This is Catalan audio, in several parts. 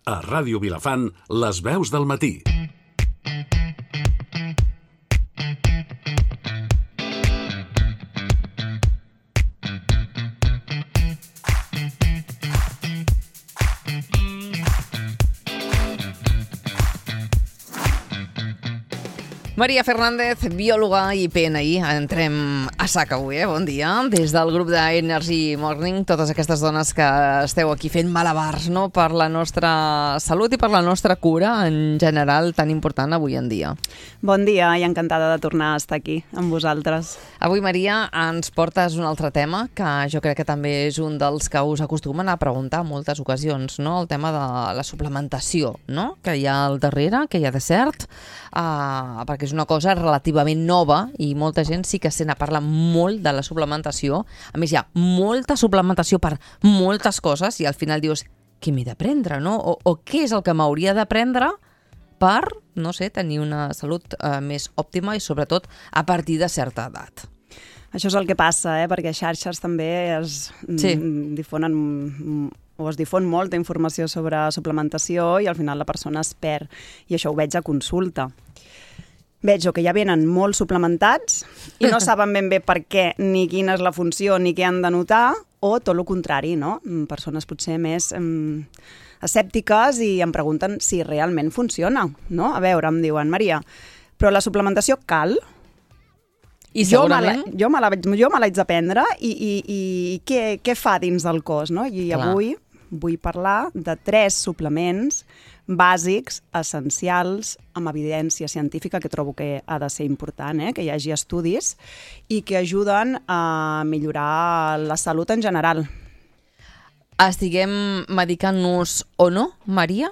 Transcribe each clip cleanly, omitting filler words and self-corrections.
A Ràdio Vilafant, les veus del matí. Maria Fernández, biòloga i PNI. Entrem a sac avui, bon dia. Des del grup d'Energy Morning, totes aquestes dones que esteu aquí fent malabars, no?, per la nostra salut i per la nostra cura en general, tan important avui en dia. Bon dia i encantada de tornar a estar aquí amb vosaltres. Avui, Maria, ens portes un altre tema que jo crec que també és un dels que us acostumen a preguntar en moltes ocasions, no?, el tema de la suplementació, no?, que hi ha al darrere, que hi ha de cert, perquè és una cosa relativament nova i molta gent sí que sent a parlar molt de la suplementació. A més, hi ha molta suplementació per moltes coses i al final dius, què m'he de prendre, no? O què és el que m'hauria de prendre per, no sé, tenir una salut més òptima i sobretot a partir de certa edat. Això és el que passa, perquè a xarxes també es difon molta informació sobre suplementació i al final la persona es perd. I això ho veig a consulta. Veig que ja venen molt suplementats i no saben ben bé per què, ni quina és la funció, ni què han de notar, o tot el contrari, no? Persones potser més escèptiques i em pregunten si realment funciona, no? A veure, em diuen, Maria, però la suplementació cal? I segurament... Jo me l'haig de prendre i què fa dins del cos, no? I avui vull parlar de 3 suplements bàsics, essencials, amb evidència científica, que trobo que ha de ser important, que hi hagi estudis, i que ajuden a millorar la salut en general. Estiguem medicant-nos o no, Maria?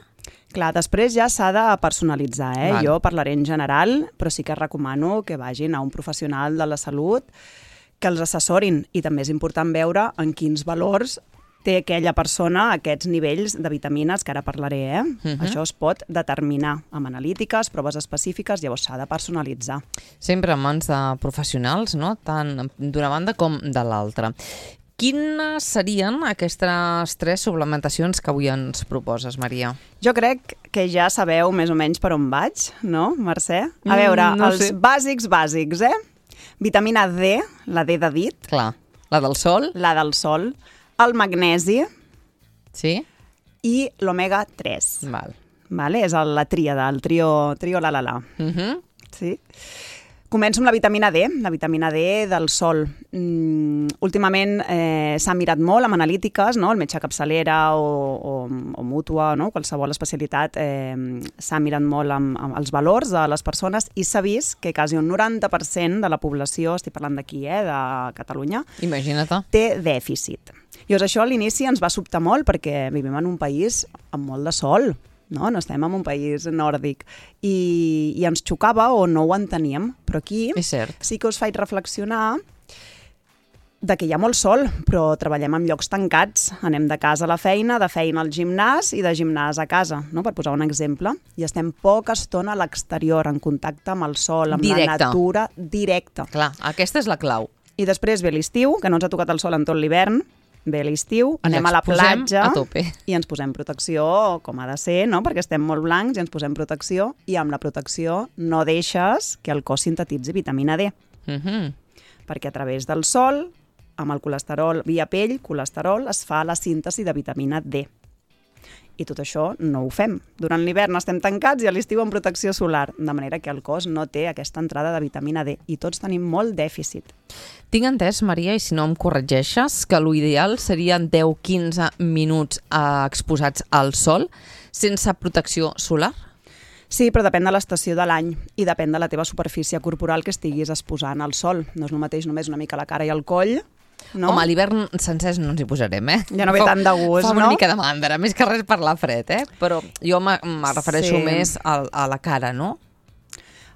Clar, després ja s'ha de personalitzar, Jo parlaré en general, però sí que recomano que vagin a un professional de la salut que els assessorin, i també és important veure en quins valors té aquella persona aquests nivells de vitamines, que ara parlaré, Això es pot determinar amb analítiques, proves específiques, llavors s'ha de personalitzar. Sempre en mans de professionals, no?, tant d'una banda com de l'altra. Quines serien aquestes 3 suplementacions que avui ens proposes, Maria? Jo crec que ja sabeu més o menys per on vaig, no, Mercè? A veure, els bàsics, vitamina D, la D de dit. Clar, la del sol. La del sol. El magnesi i l'omega 3. És la tríada, el trio la. Sí. Començo amb la vitamina D, del sol. Últimament s'ha mirat molt amb analítiques, no? El metge capçalera o mútua, no? Qualsevol especialitat s'ha mirat molt amb els valors de les persones i s'ha vist que quasi un 90% de la població, estic parlant d'aquí, de Catalunya, imagina't, té dèficit. Llavors això a l'inici ens va sobtar molt perquè vivim en un país amb molt de sol, no estem en un país nòrdic i ens xocava o no ho enteníem, però aquí sí que us faig reflexionar de que hi ha molt sol, però treballem en llocs tancats, anem de casa a la feina, de feina al gimnàs i de gimnàs a casa, no? Per posar un exemple, i estem poca estona a l'exterior, en contacte amb el sol, amb la natura directa. Clar, aquesta és la clau. I després ve l'estiu, que no ens ha tocat el sol en tot l'hivern, ve l'estiu, anem a la platja i ens posem protecció, com ha de ser, no? Perquè estem molt blancs i ens posem protecció, i amb la protecció no deixes que el cos sintetitzi vitamina D. Perquè a través del sol, amb el colesterol via pell, es fa la síntesi de vitamina D. I tot això no ho fem. Durant l'hivern estem tancats i a l'estiu amb protecció solar, de manera que el cos no té aquesta entrada de vitamina D i tots tenim molt dèficit. Tinc entès, Maria, i si no em corregeixes, que l'ideal serien 10-15 minuts exposats al sol sense protecció solar? Sí, però depèn de l'estació de l'any i depèn de la teva superfície corporal que estiguis exposant al sol. No és el mateix només una mica la cara i el coll, no? Home, a l'hivern sencers no ens hi posarem, Ja no ve tant de gust, no? Fa una mica de mandra, més que res per la fred, Però jo me refereixo més a la cara, no?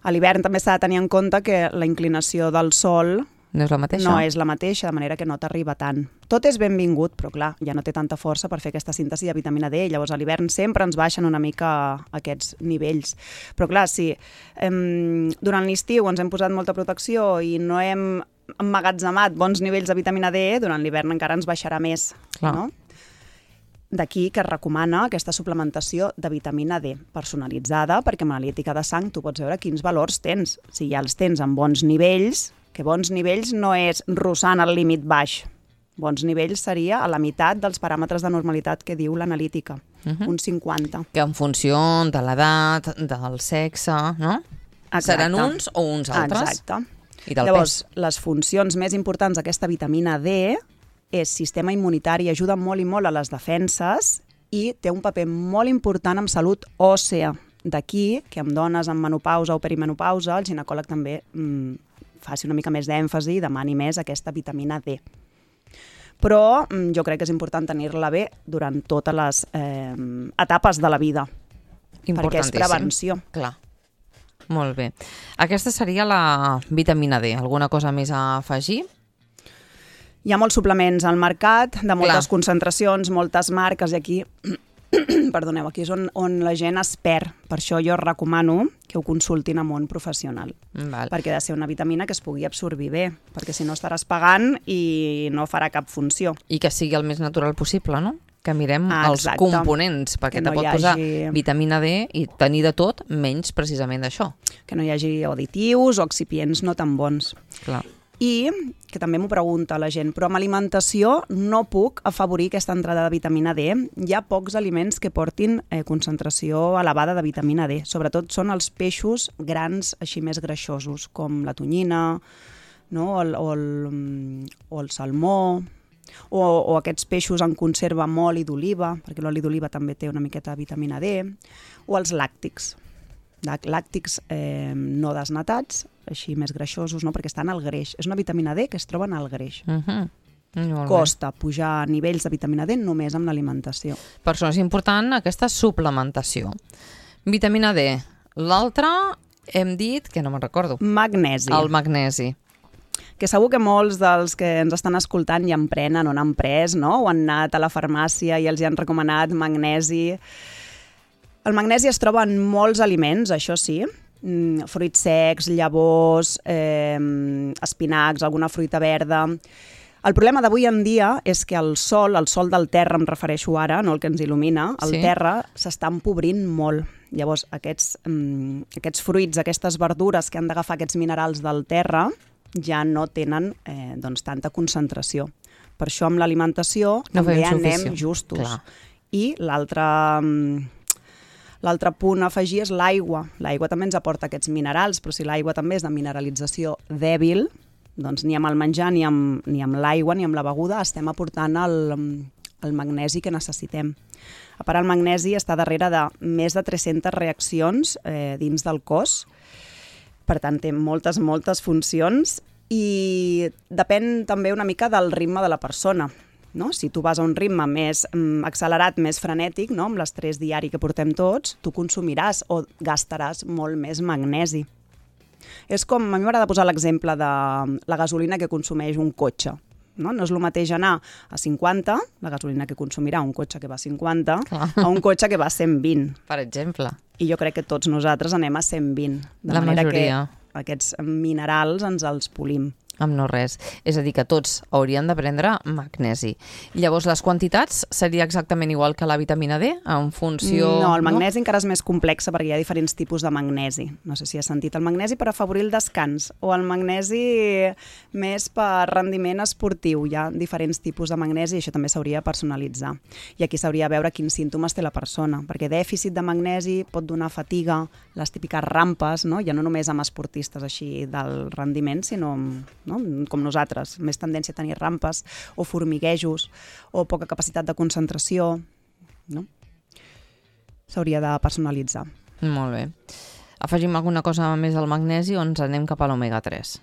A l'hivern també s'ha de tenir en compte que la inclinació del sol no és la mateixa. No és la mateixa, de manera que no t'arriba tant. Tot és benvingut, però clar, ja no té tanta força per fer aquesta síntesi de vitamina D, llavors a l'hivern sempre ens baixen una mica aquests nivells. Però clar, si durant l'estiu ens hem posat molta protecció i no hem emmagatzemat bons nivells de vitamina D, durant l'hivern encara ens baixarà més, no? d'aquí que es recomana aquesta suplementació de vitamina D personalitzada, perquè amb l'analítica de sang tu pots veure quins valors tens. Si ja els tens en bons nivells, que bons nivells no és rossant el límit baix. Bons nivells seria a la meitat dels paràmetres de normalitat que diu l'analítica, un 50. Que en funció de l'edat, del sexe, no? Exacte. Seran uns o uns altres. Exacte. I del Llavors, pes. les funcions més importants d'aquesta vitamina D és sistema immunitari, ajuda molt i molt a les defenses i té un paper molt important en salut òssea. D'aquí que amb dones en menopausa o perimenopausa el ginecòleg també faci una mica més d'èmfasi i demani més aquesta vitamina D. Però jo crec que és important tenir-la bé durant totes les etapes de la vida, perquè és prevenció. Clar. Molt bé. Aquesta seria la vitamina D. Alguna cosa més a afegir? Hi ha molts suplements al mercat, de moltes concentracions, moltes marques, i aquí, perdoneu, aquí és on la gent es perd. Per això jo recomano que ho consultin amb un professional. Perquè ha de ser una vitamina que es pugui absorbir bé, perquè si no estaràs pagant i no farà cap funció. I que sigui el més natural possible, no? Que mirem els components, perquè te pot posar vitamina D i tenir de tot, menys precisament d'això. Que no hi hagi additius o excipients no tan bons. Clar. I, que també m'ho pregunta la gent, però amb alimentació no puc afavorir aquesta entrada de vitamina D. Hi ha pocs aliments que portin concentració elevada de vitamina D. Sobretot són els peixos grans, així més greixosos, com la tonyina, no? o el salmó, o aquests peixos en conserva amb oli d'oliva, perquè l'oli d'oliva també té una miqueta de vitamina D, o els làctics. Làctics no desnatats, així més greixosos, no? Perquè estan al greix. És una vitamina D que es troba en el greix. Costa pujar nivells de vitamina D només amb l'alimentació. Per això és important aquesta suplementació. Vitamina D. L'altra hem dit, que no me'n recordo. Magnesi. El magnesi. Que segur que molts dels que ens estan escoltant ja en prenen o n'han pres, no? O han anat a la farmàcia i els hi han recomanat magnesi. El magnesi es troba en molts aliments, això sí, fruits secs, llavors, espinacs, alguna fruita verda. El problema d'avui en dia és que el sol del terra em refereixo ara, no el que ens il·lumina, el terra s'està empobrint molt. Llavors, aquests fruits, aquestes verdures que han d'agafar aquests minerals del terra ja no tenen tanta concentració. Per això amb l'alimentació també anem justos. I l'altre punt a afegir és l'aigua. L'aigua també ens aporta aquests minerals, però si l'aigua també és de mineralització dèbil, doncs ni amb el menjar, ni amb l'aigua, ni amb la beguda estem aportant el magnesi que necessitem. A part, el magnesi està darrere de més de 300 reaccions dins del cos, per tant té moltes funcions i depèn també una mica del ritme de la persona. No? Si tu vas a un ritme més accelerat, més frenètic, no? Amb l'estrès diari que portem tots, tu consumiràs o gastaràs molt més magnesi. És com, a mi m'agrada posar l'exemple de la gasolina que consumeix un cotxe. No és el mateix anar a 50, la gasolina que consumirà un cotxe que va a 50, a un cotxe que va a 120. Per exemple. I jo crec que tots nosaltres anem a 120. De manera que aquests minerals ens els polim. Amb no res. És a dir, que tots haurien de prendre magnesi. Llavors, les quantitats seria exactament igual que la vitamina D, en funció... No, el magnesi encara és més complex perquè hi ha diferents tipus de magnesi. No sé si has sentit el magnesi per afavorir el descans o el magnesi més per rendiment esportiu. Hi ha diferents tipus de magnesi i això també s'hauria de personalitzar. I aquí s'hauria de veure quins símptomes té la persona, perquè dèficit de magnesi pot donar fatiga, les típiques rampes, no? Ja no només amb esportistes així del rendiment, sinó com nosaltres, més tendència a tenir rampes o formiguejos o poca capacitat de concentració, no? S'hauria de personalitzar. Molt bé. Afegim alguna cosa més al magnesi o ens anem cap a l'omega 3?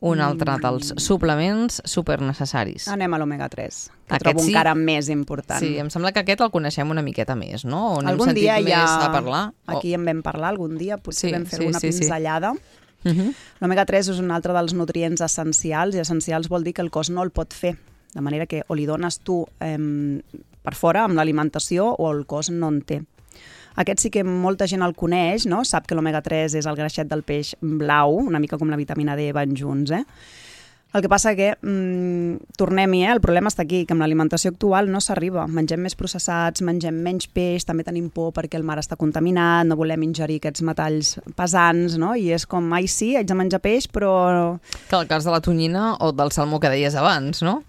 Un altre dels suplements supernecessaris. Anem a l'omega 3, que trobo encara més important. Sí, em sembla que aquest el coneixem una miqueta més, no? O n'hem algun sentit dia més a parlar? Aquí en vam parlar algun dia, potser vam fer una pinzellada. L'omega 3 és un altre dels nutrients essencials, i essencials vol dir que el cos no el pot fer, de manera que o li dones tu per fora amb l'alimentació o el cos no en té. Aquest sí que molta gent el coneix, no? Sap que l'omega 3 és el greixet del peix blau, una mica com la vitamina D van junts. El que passa que, tornem-hi, el problema està aquí, que amb l'alimentació actual no s'arriba. Mengem més processats, mengem menys peix, també tenim por perquè el mar està contaminat, no volem ingerir aquests metalls pesants, no? I és com, ai sí, haig de menjar peix, però... Que el cas de la tonyina o del salmó que deies abans, no?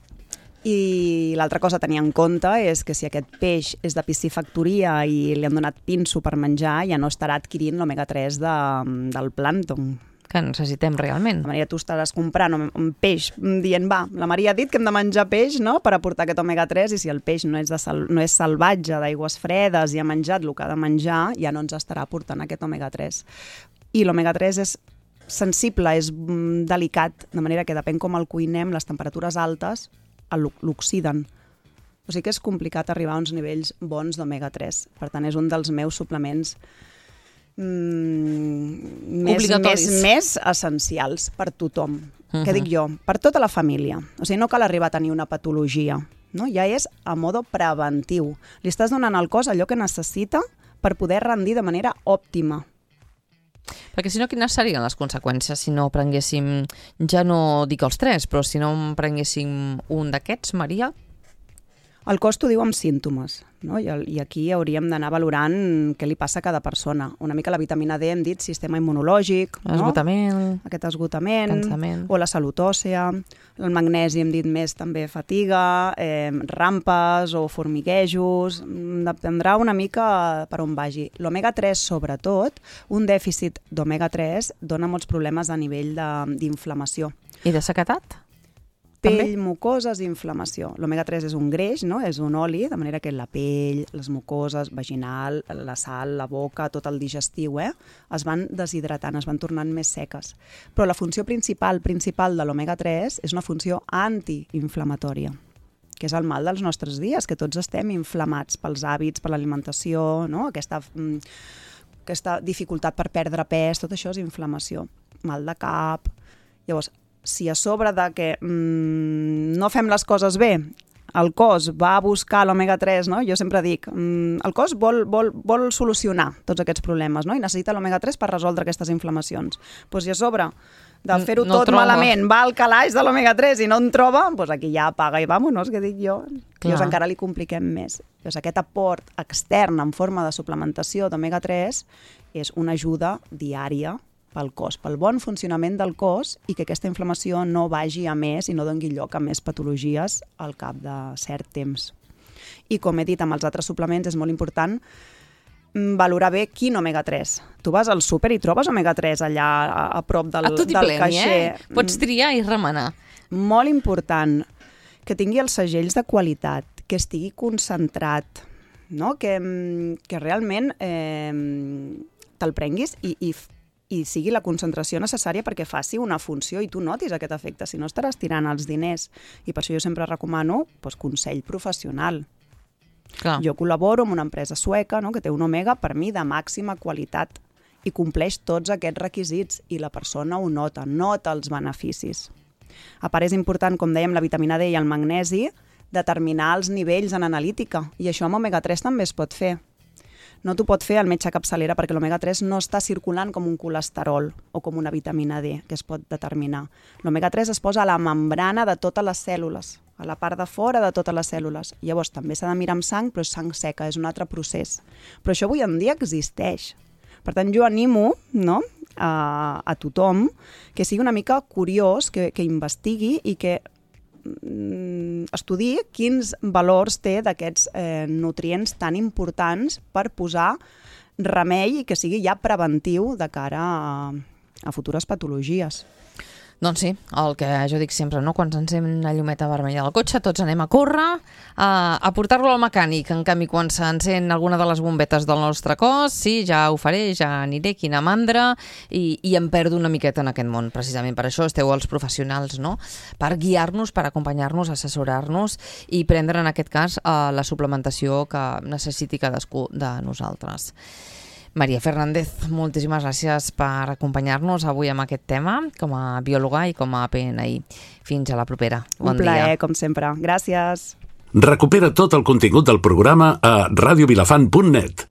I l'altra cosa a tenir en compte és que si aquest peix és de piscifactoria i li han donat pinso per menjar, ja no estarà adquirint l'omega-3 del plàncton, que necessitem realment. De manera, tu estaràs comprant un peix dient, va, la Maria ha dit que hem de menjar peix, no?, per aportar aquest omega-3, i si el peix no és salvatge, d'aigües fredes, i ha menjat el que ha de menjar, ja no ens estarà aportant aquest omega-3. I l'omega-3 és sensible, és delicat, de manera que depèn com el cuinem, les temperatures altes l'oxiden. O sigui que és complicat arribar a uns nivells bons d'omega-3. Per tant, és un dels meus suplements més essencials per tothom. Què dic jo? Per tota la família. O sigui, no cal arribar a tenir una patologia. No? Ja és a modo preventiu. Li estàs donant al cos allò que necessita per poder rendir de manera òptima. Perquè si no, quines serien les conseqüències si no prenguéssim, ja no dic els 3, però si no prenguéssim un d'aquests, Maria? El cos t'ho diu amb símptomes, no? I aquí hauríem d'anar valorant què li passa a cada persona. Una mica la vitamina D hem dit sistema immunològic, esgotament, no? Aquest esgotament, cansament. O la salut òssea. El magnesi hem dit més també fatiga, rampes o formiguejos. Dependrà una mica per on vagi. L'omega-3, sobretot, un dèficit d'omega-3 dona molts problemes a nivell d'inflamació. I de sequedat? Pell, mucoses i inflamació. L'omega-3 és un greix, no? És un oli, de manera que la pell, les mucoses, vaginal, la sal, la boca, tot el digestiu, es van deshidratant, es van tornant més seques. Però la funció principal de l'omega-3 és una funció antiinflamatòria, que és el mal dels nostres dies, que tots estem inflamats pels hàbits, per l'alimentació, no? Aquesta dificultat per perdre pes, tot això és inflamació. Mal de cap. Llavors, si a sobre de que no fem les coses bé, el cos va a buscar l'omega-3, no? Jo sempre dic, el cos vol solucionar tots aquests problemes, no? I necessita l'omega-3 per resoldre aquestes inflamacions. Doncs si a sobre de fer-ho tot malament va al calaix de l'omega-3 i no en troba, doncs aquí ja apaga i vámonos, que dic jo. Llavors encara li compliquem més. Llavors aquest aport extern en forma de suplementació d'omega-3 és una ajuda diària pel cos, pel bon funcionament del cos i que aquesta inflamació no vagi a més i no doni lloc a més patologies al cap de cert temps. I com he dit amb els altres suplements, és molt important valorar bé quin omega-3. Tu vas al súper i trobes omega-3 allà a prop del caixer. Pots triar i remenar. Molt important que tingui els segells de qualitat, que estigui concentrat, no? Que realment te'l prenguis i sigui la concentració necessària perquè faci una funció i tu notis aquest efecte, si no estaràs tirant els diners. I per això jo sempre recomano consell professional. Clar. Jo col·laboro amb una empresa sueca, no?, que té un omega per mi de màxima qualitat i compleix tots aquests requisits i la persona ho nota els beneficis. A part és important, com dèiem, la vitamina D i el magnesi, determinar els nivells en analítica i això amb omega-3 també es pot fer. No t'ho pot fer el metge capçalera perquè l'omega-3 no està circulant com un colesterol o com una vitamina D que es pot determinar. L'omega-3 es posa a la membrana de totes les cèl·lules, a la part de fora de totes les cèl·lules. Llavors també s'ha de mirar amb sang, però és sang seca, és un altre procés. Però això avui en dia existeix. Per tant, jo animo, no?, a tothom que sigui una mica curiós, que investigui i que estudiï quins valors té d'aquests nutrients tan importants per posar remei i que sigui ja preventiu de cara a futures patologies. Doncs sí, el que jo dic sempre, no? Quan s'encén la llumeta vermella del cotxe, tots anem a córrer, a portar-lo al mecànic. En canvi, quan s'encén alguna de les bombetes del nostre cos, sí, ja ho faré, ja aniré, quina mandra, i em perdo una miqueta en aquest món. Precisament per això esteu els professionals, no?, per guiar-nos, per acompanyar-nos, assessorar-nos i prendre, en aquest cas, la suplementació que necessiti cadascú de nosaltres. Maria Fernández, moltíssimes gràcies per acompanyar-nos avui amb aquest tema, com a biòloga i com a PNI. Fins a la propera. Bon dia. Un plaer, com sempre. Gràcies. Recupera tot el contingut del programa a radiovilafant.net.